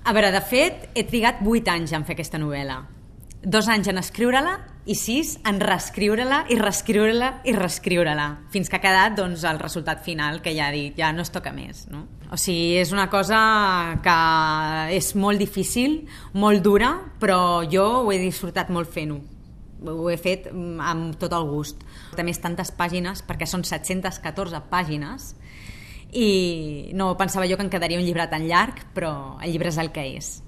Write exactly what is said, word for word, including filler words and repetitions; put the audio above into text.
A veure, de fet, he trigat vuit anys en fer aquesta novel·la. Dos anys en escriure-la i sis en reescriure-la i reescriure-la i reescriure-la, fins que ha quedat doncs, el resultat final, que ja he dit, ja no es toca més. No? O sigui, és una cosa que és molt difícil, molt dura, però jo ho he disfrutat molt fent-ho. Ho he fet amb tot el gust. També és tantes pàgines, perquè són set-centes catorze pàgines, i no pensava jo que em quedaria un llibre tan llarg, però el llibre és el que és.